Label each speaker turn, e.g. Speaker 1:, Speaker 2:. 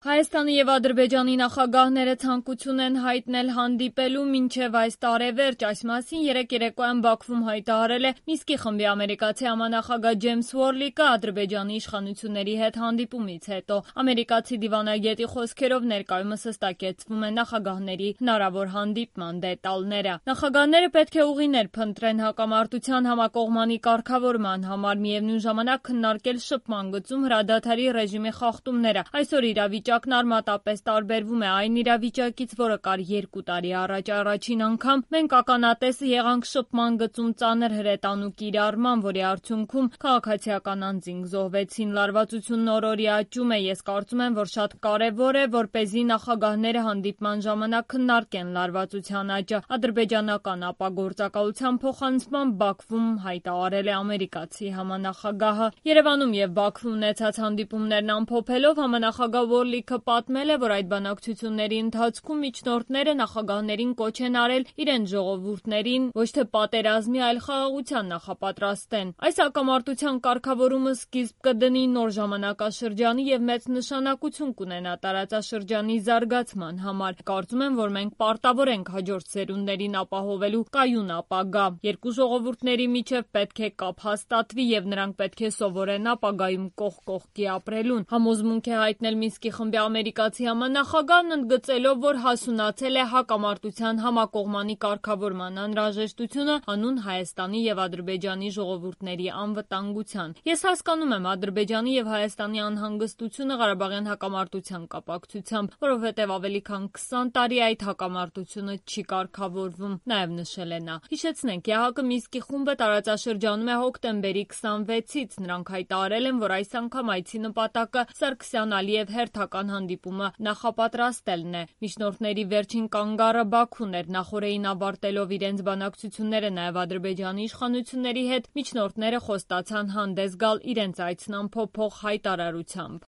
Speaker 1: Հայաստանի եւ Ադրբեջանի նախագահները ցանկություն են հայտնել հանդիպելու մինչեւ այս տարեվերջ, այս մասին երեկ երեկոյան Բաքվում հայտարարել է Մինսկի խմբի ամերիկացի համանախագահ Ջեյմս Ուորլիկը Ադրբեջանի իշխանությունների հետ հանդիպումից հետո։ Ամերիկացի դիվանագետի խոսքերով ներկայումս հստակեցվում է նախագահների հնարավոր հանդիպման դետալները։ Նախագահները պետք է ուղիներ փնտրեն հակամարտության համակողմանի կարգավորման համար, միևնույն ժամանակ քննարկել շփման գծում հրադադարի ռեժիմի խախտումները։ Այսօր իրավիճակն արմատապես տարբերվում է այն իրավիճակից, որը կար 2 տարի առաջ։ Առաջին անգամ մենք ականատես եղանք շփման գծում ծանր հրետանու կիրառման, որի արդյունքում քաղաքացիական անձինք զոհվեցին։ Լարվածությունն օր-օրի աճում է։ Ես կարծում եմ, որ շատ կարևոր է, որպեսզի նախագահները հանդիպման ժամանակ քննարկեն լարվածության աճը։ Ադրբեջանական ապագործակալության փոխանցմամբ Բաքվում հայտարարել է ամերիկացի համանախագահը։ Երևանում եւ Բաքվում ունեցած հանդիպումներն ամփոփելով համանախագահ Ուորլիկը պատմել է, որ այդ բանակցությունների ընթացքում միջնորդները նախագահներին կոչ են արել իրենց ժողովուրդներին ոչ թե պատերազմի, այլ խաղաղության նախապատրաստեն։ Այս հակամարտության կարգավորումը սկիզբ կդնի նոր ժամանակաշրջանի եւ մեծ նշանակություն կունենա տարածաշրջանի զարգացման համար։ Կարծում եմ, որ մենք պարտավոր ենք հաջորդ սերունդներին ապահովելու կայուն ապագա։ Երկու ժողովուրդների միջև պետք է կապ հաստատվի եւ նրանք պետք է սովորեն ապագայում կողք կողքի ապրելուն։ Համոզմունք է հայտնել Մինսկի խմբի ամերիկացի համանախագահն, ընդգծելով, որ հասունացել է հակամարտության համակողմանի կարգավորման անհրաժեշտությունը հանուն Հայաստանի եւ Ադրբեջանի ժողովուրդների անվտանգության։ Ես հասկանում եմ Ադրբեջանի եւ Հայաստանի անհանգստությունը Ղարաբաղյան հակամարտության կապակցությամբ, որովհետեւ ավելի քան 20 տարի այդ հակամարտությունը չի կարգավորվում, նաեւ նշել է նա։ Հիշեցնենք, ԵԱՀԿ Մինսկի խումբը տարածաշրջանում է հոկտեմբերի 26-ից։ Նրանք հայտարարել են, որ այս անգամ այցի նպատակը Սարգսյան-Ալիև հերթական հանդիպումը նախապատրաստելն է։ Միջնորդների վերջին կանգառը Բաքուն էր։ Նախօրեին ավարտելով իրենց բանակցությունները նաև Ադրբեջանի իշխանությունների հետ, միջնորդները խոստացան հանդես գալ իրենց այցն ամփոփող հայտարարությամբ։